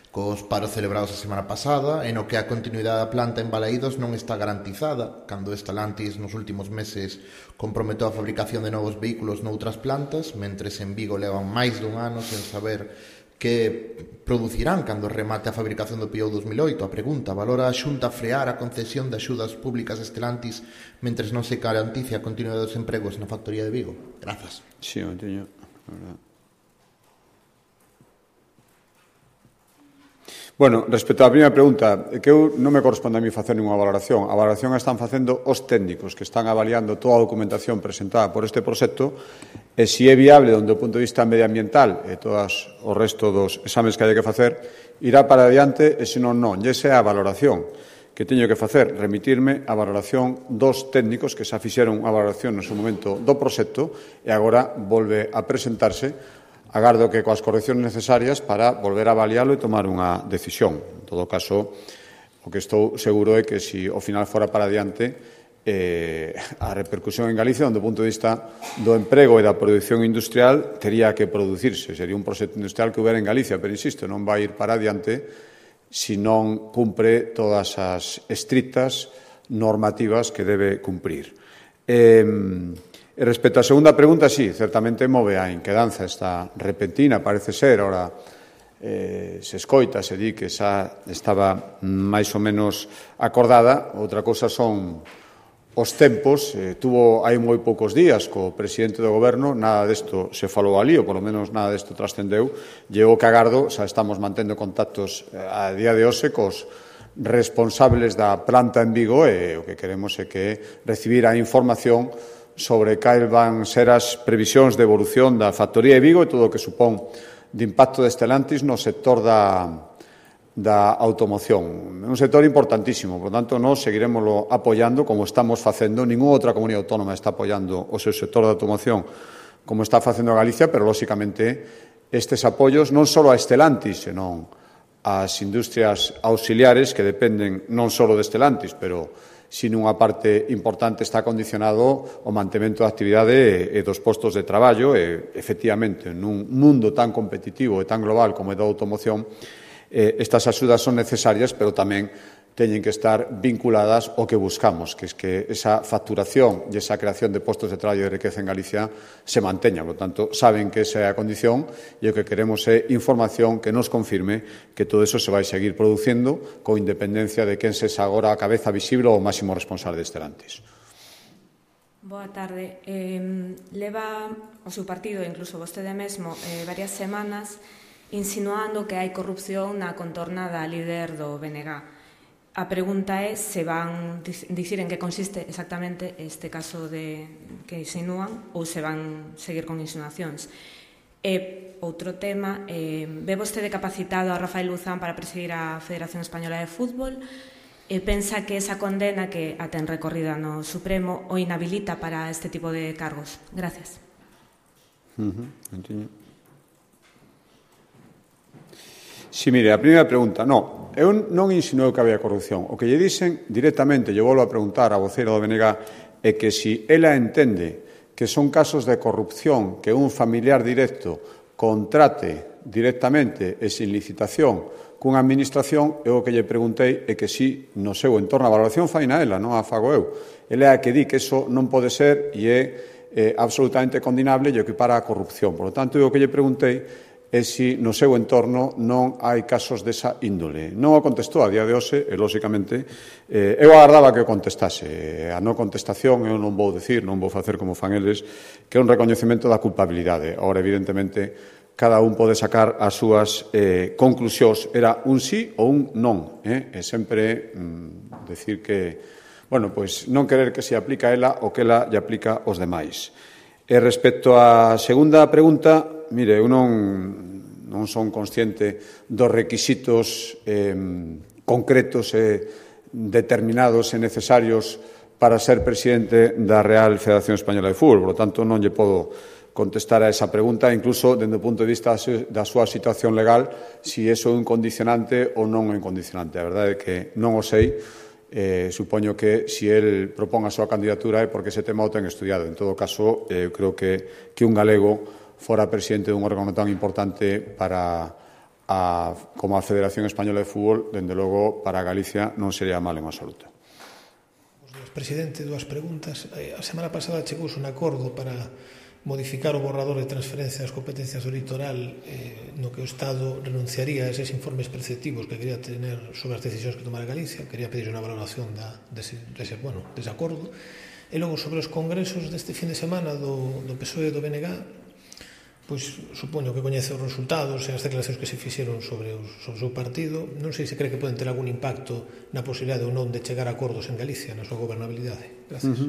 cos paros celebrados a semana pasada, e no que a continuidade da planta en Balaídos non está garantizada, cando Stellantis nos últimos meses comprometeu a fabricación de novos vehículos noutras plantas, mentres en Vigo levan máis dun ano sen saber que producirán cando remate a fabricación do Peugeot 2008. A pregunta: valora a Xunta frear a concesión de axudas públicas a Stellantis mentres non se garantice a continuidade dos empregos na factoría de Vigo? Grazas. Sí, o teño, verdad. Bueno, respecto á primeira pregunta, que eu non me corresponde a mí facer ninguna valoración. A valoración a están facendo os técnicos que están avaliando toda a documentación presentada por este proxecto e se é viable dende o punto de vista medioambiental e todos o resto dos exames que hai que facer, irá para adiante e se non, non. E esa é a valoración que teño que facer, remitirme a valoración dos técnicos que xa fixeron a valoración no seu momento do proxecto e agora volve a presentarse. Agardo que coas correccións necesarias para volver a avalialo e tomar unha decisión. En todo caso, o que estou seguro é que se ao final fora para adiante, a repercusión en Galicia, do punto de vista do emprego e da produción industrial, tería que producirse. Sería un proxecto industrial que houbera en Galicia, pero insisto, non vai ir para adiante se non cumpre todas as estrictas normativas que debe cumprir. E respecto á segunda pregunta, sí, certamente move a inquedanza esta repentina, parece ser, ora se escoita, se di que xa estaba máis ou menos acordada. Outra cousa son os tempos. Tuvo hai moi poucos días co presidente do goberno, nada desto se falou ali, ou polo menos nada desto trascendeu. Llego que agardo, xa estamos mantendo contactos a día de hoxe cos responsables da planta en Vigo e o que queremos é que recibir a información sobre cal van ser as previsións de evolución da factoría de Vigo e todo o que supón de impacto de Stellantis no sector da automoción. É un sector importantísimo, por tanto, nós seguiremoslo apoiando como estamos facendo. Ninguna outra comunidade autónoma está apoiando o seu sector da automoción como está facendo a Galicia, pero, lóxicamente, estes apoios non só a Stellantis, senón ás industrias auxiliares que dependen non só de Stellantis, pero sino unha parte importante está condicionado ao mantemento da actividade e dos postos de traballo e, efectivamente, nun mundo tan competitivo e tan global como é da automoción, estas axudas son necesarias, pero tamén teñen que estar vinculadas ao que buscamos, que é que esa facturación e esa creación de postos de traballo e de riqueza en Galicia se manteña. Por tanto, saben que esa é a condición e o que queremos é información que nos confirme que todo eso se vai seguir producindo con independencia de quen sexa agora a cabeza visible ou o máximo responsable de Stellantis. Boa tarde. Leva o seu partido, incluso vostede mesmo, varias semanas insinuando que hai corrupción na contorna da líder do BNG. A pregunta é se van dicir en que consiste exactamente este caso que insinúan ou se van seguir con insinuacións. E outro tema, ve vostede capacitado a Rafael Luzán para presidir a Federación Española de Fútbol e pensa que esa condena que a ten recorrida no Supremo o inhabilita para este tipo de cargos? Gracias. Si, mire, a primeira pregunta, non. Eu non insinuou que había corrupción. O que lle dixen directamente, lle volvo a preguntar a voceira do BNG, é que se ela entende que son casos de corrupción que un familiar directo contrate directamente e sin licitación cunha administración, eu o que lle preguntei é que si no seu entorno a valoración faina ela, non a fago eu. Ela é a que di que eso non pode ser e é absolutamente condenable e equipara a corrupción. Por lo tanto, eu o que lle preguntei e se no seu entorno non hai casos desa índole. Non o contestou a día de hoxe e, lóxicamente, eu agardaba que o contestase. A non contestación eu non vou decir, non vou facer como fan eles, que é un recoñecemento da culpabilidade. Agora, evidentemente, cada un pode sacar as súas conclusións. Era un sí ou un non. E sempre decir que, bueno, pois non querer que se aplica a ela o que ela lle aplica aos demais. E respecto á segunda pregunta, mire, eu non son consciente dos requisitos concretos e determinados e necesarios para ser presidente da Real Federación Española de Fútbol. Por lo tanto, non lle podo contestar a esa pregunta, incluso dende o punto de vista da súa situación legal, si iso é un condicionante ou non é un condicionante. A verdade é que non o sei. Supoño que se el propón a súa candidatura é porque ese tema o ten estudiado. En todo caso, eu creo que un galego fora presidente dun órgano tan importante como a Federación Española de Fútbol, dende logo, para Galicia non sería mal en absoluto. Presidente, dúas preguntas. A semana pasada chegouse un acordo para modificar o borrador de transferencia das competencias do litoral no que o Estado renunciaría a eses informes preceptivos que quería tener sobre as decisións que tomara Galicia. Quería pedir unha valoración dese acordo. E logo, sobre os congresos deste fin de semana do PSOE e do BNG, pois supoño que coñece os resultados e as declaracións que se fixeron sobre o seu partido. Non sei se cree que poden ter algún impacto na posibilidade ou non de chegar a acordos en Galicia, na súa gobernabilidade. Gracias.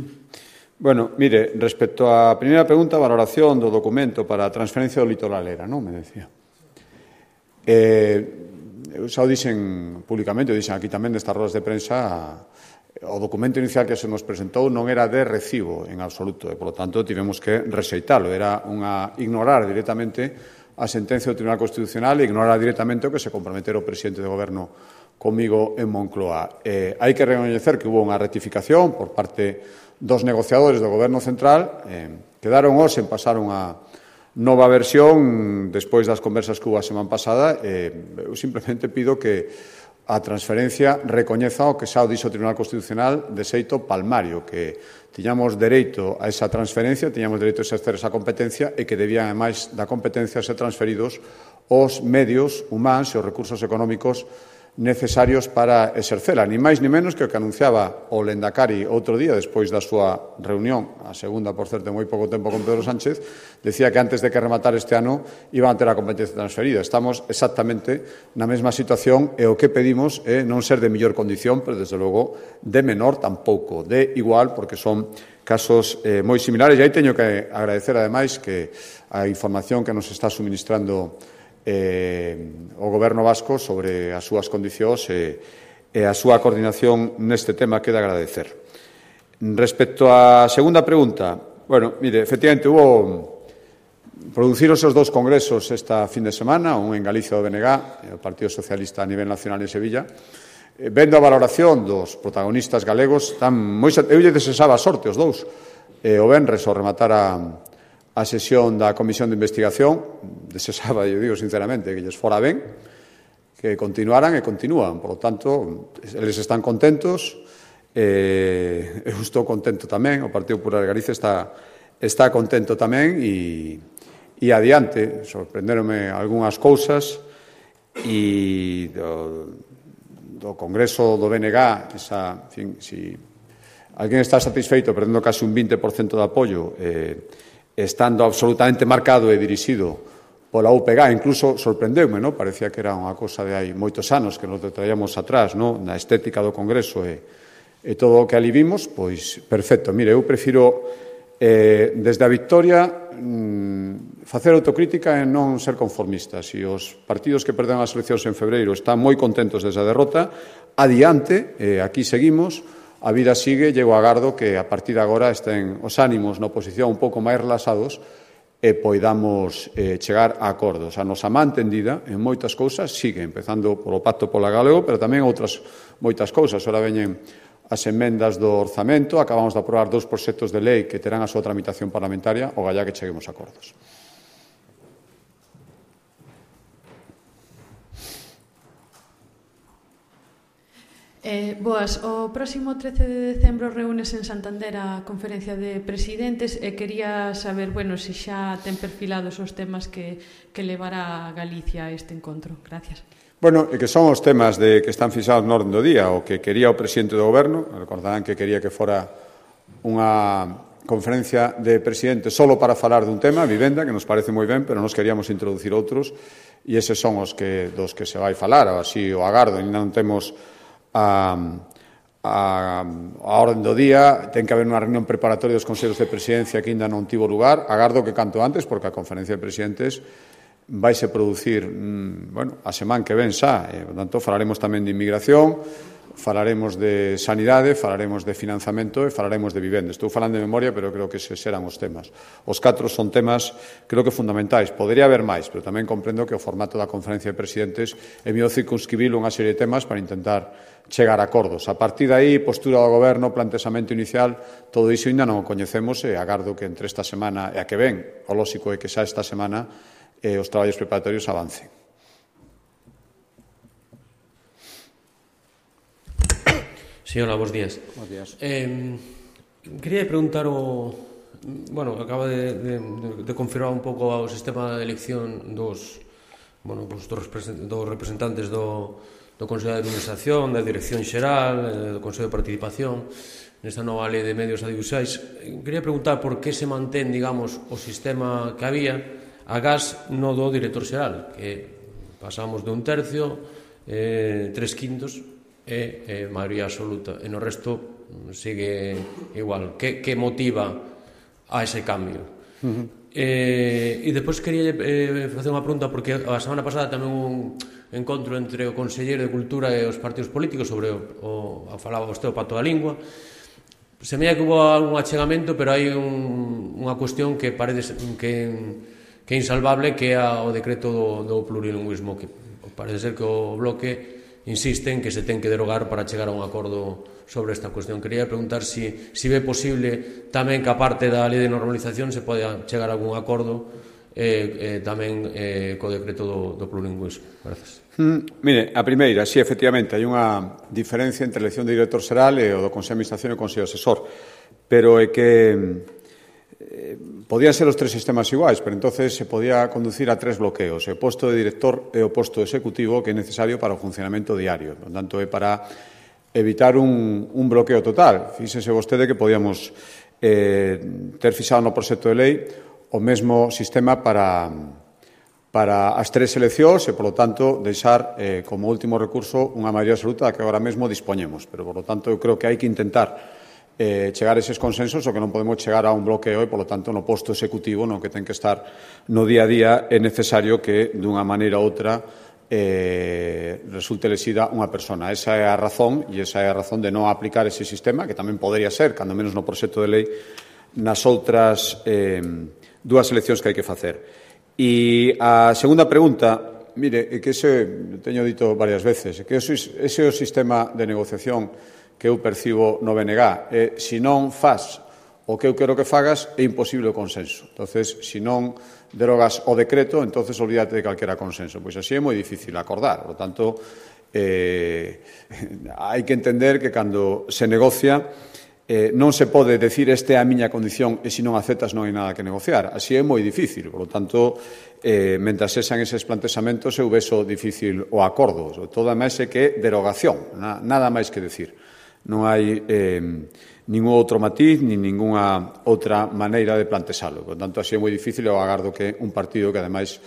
Bueno, mire, respecto á primeira pregunta, a valoración do documento para a transferencia do litoral era, non? Me decía. Eu xa o dixen públicamente, o dixen aquí tamén nestas rodas de prensa, o documento inicial que se nos presentou non era de recibo en absoluto e, polo tanto, tivemos que rexeitalo. Era ignorar directamente a sentencia do Tribunal Constitucional e ignorar directamente o que se comprometera o presidente de goberno comigo en Moncloa. Hai que recoñecer que hubo unha rectificación por parte dos negociadores do Goberno Central. Quedaron hoxe en pasar unha nova versión despois das conversas que hubo a semana pasada. Eu simplemente pido que a transferencia recoñeza o que xa o dixo o Tribunal Constitucional de xeito palmario, que tiñamos dereito a esa transferencia, tiñamos dereito a exercer esa competencia e que debían, ademais da competencia, ser transferidos os medios humanos e os recursos económicos necesarios para exercela, ni máis ni menos que o que anunciaba o Lendakari outro día despois da súa reunión, a segunda, por certo, en moi pouco tempo con Pedro Sánchez, decía que antes de que rematar este ano iban a ter a competencia transferida. Estamos exactamente na mesma situación e o que pedimos é non ser de mellor condición, pero desde logo de menor tampouco, de igual, porque son casos moi similares. E aí teño que agradecer, ademais, que a información que nos está suministrando o Goberno vasco sobre as súas condicións e a súa coordinación neste tema queda agradecer. Respecto á segunda pregunta, bueno, mire, efectivamente, produciron os dous congresos esta fin de semana, un en Galicia do BNG, o Partido Socialista a nivel nacional en Sevilla. Vendo a valoración dos protagonistas galegos, eu lle desexaba a sorte os dous. O venres, ao rematar a sesión da Comisión de Investigación, desexaba, eu digo sinceramente, que lles fora ben, que continuaran e continúan. Por lo tanto, eles están contentos, eu estou contento tamén, o Partido Popular de Galicia está contento tamén e adiante. Sorprenderonme algunhas cousas e do Congreso do BNG, si alguén está satisfeito perdendo casi un 20% de apoio, estando absolutamente marcado e dirixido pola UPG, incluso sorprendeume, non? Parecía que era unha cosa de hai moitos anos que nos traíamos atrás, non? Na estética do Congreso e todo o que ali vimos, pois perfecto. Mire, eu prefiro desde a victoria facer autocrítica e non ser conformista. Se os partidos que perderon as eleccións en febreiro están moi contentos desde a derrota, adiante, aquí seguimos. A vida sigue, eu agardo que a partir de agora estén os ánimos na oposición un pouco máis relaxados e poidamos chegar a acordos. A nosa man tendida en moitas cousas sigue, empezando polo Pacto pola Galego, pero tamén outras moitas cousas. Ora veñen as emendas do orzamento, acabamos de aprobar 2 proxectos de lei que terán a súa tramitación parlamentaria, o gallá que cheguemos a acordos. Boas, o próximo 13 de decembro reúnese en Santander a conferencia de presidentes e quería saber, se xa ten perfilados os temas que levará a Galicia a este encontro. Gracias. E que son os temas que están fixados no orden do día, o que quería o presidente do Goberno. Recordarán que quería que fora unha conferencia de presidentes solo para falar dun tema, vivenda, que nos parece moi ben, pero nos queríamos introducir outros, e eses son dos que se vai falar, así o agardo, ainda non temos a orden do día, ten que haber unha reunión preparatoria dos consellos de presidencia que ainda non tivo lugar, agardo que canto antes, porque a conferencia de presidentes vaise producir, a semana que ven xa, por tanto, falaremos tamén de inmigración, falaremos de sanidade, falaremos de financiamento e falaremos de vivenda. Estou falando de memoria, pero creo que eses serán os temas. Os 4 son temas, creo que fundamentais. Podería haber máis, pero tamén comprendo que o formato da conferencia de presidentes é mellor circunscribir unha serie de temas para intentar chegar a acordos. A partir de aí, postura do Goberno, planteamento inicial, todo iso ainda non o coñecemos e agardo que entre esta semana e a que ven, o lóxico é que xa esta semana os traballos preparatorios avancen. Sí, hola, bons días. Bons días. Quería preguntar acaba de confirmar un pouco o sistema de elección dos representantes do Consello de Administración, da Dirección Xeral, do Consello de Participación, nesta nova lei de medios audiovisuais. Quería preguntar por que se mantén, digamos, o sistema que había agás no do director xeral, que pasamos de 1/3, 3/5, e maioría absoluta, e no resto sigue igual. Que motiva a ese cambio? E despois quería facer unha pregunta, porque a semana pasada tamén un encontro entre o Conselleiro de Cultura e os partidos políticos sobre falaba vostede o Pacto da Lingua. Semella que hubo algún achegamento, pero hai unha cuestión que parece que é insalvable, que é o decreto do plurilingüismo, que parece ser que o Bloque insiste en que se ten que derogar para chegar a un acordo sobre esta cuestión. Quería preguntar se ve posible tamén que a parte da lei de normalización se poda chegar a algún acordo tamén co decreto do plurilingüismo. Gracias. Mire, a primeira, sí, efectivamente, hai unha diferencia entre a elección de director xeral e o do Consello de Administración e o Consello Asesor, pero é que podían ser os 3 sistemas iguais, pero entonces se podía conducir a 3 bloqueos, o posto de director e o posto executivo, que é necesario para o funcionamento diario. Por tanto, é para evitar un bloqueo total. Fíxese vostede que podíamos ter fixado no proxecto de lei o mesmo sistema para as 3 eleccións e, polo tanto, deixar como último recurso unha maioría absoluta da que agora mesmo dispoñemos. Pero, polo tanto, eu creo que hai que intentar chegar a eses consensos, o que non podemos chegar a un bloqueo e, polo tanto, no posto executivo, no que ten que estar no día a día, é necesario que, dunha maneira ou outra, resulte elexida unha persona. Esa é a razón, e esa é a razón de non aplicar ese sistema, que tamén podería ser, cando menos no proxecto de lei, nas outras 2 eleccións que hai que facer. E a segunda pregunta, mire, é que ese, teño dito varias veces, que ese é o sistema de negociación que eu percibo no BNG. Se non faz o que eu quero que fagas, é imposible o consenso. Entonces, se non derogas o decreto, entonces olvídate de calquera consenso. Pois así é moi difícil acordar. Por tanto, hai que entender que cando se negocia non se pode decir esta é a miña condición e se non aceptas non hai nada que negociar. Así é moi difícil. Por lo tanto, mentras sexan eses plantexamentos, eu vexo difícil o acordo. Todo máis é que derogación, nada máis que decir. Non hai ningún outro matiz ni ningunha outra maneira de plantexalo. Por tanto, así é moi difícil e eu agardo que un partido que, ademais,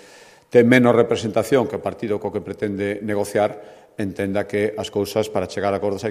ten menos representación que o partido co que pretende negociar entenda que as cousas para chegar a acordos hai que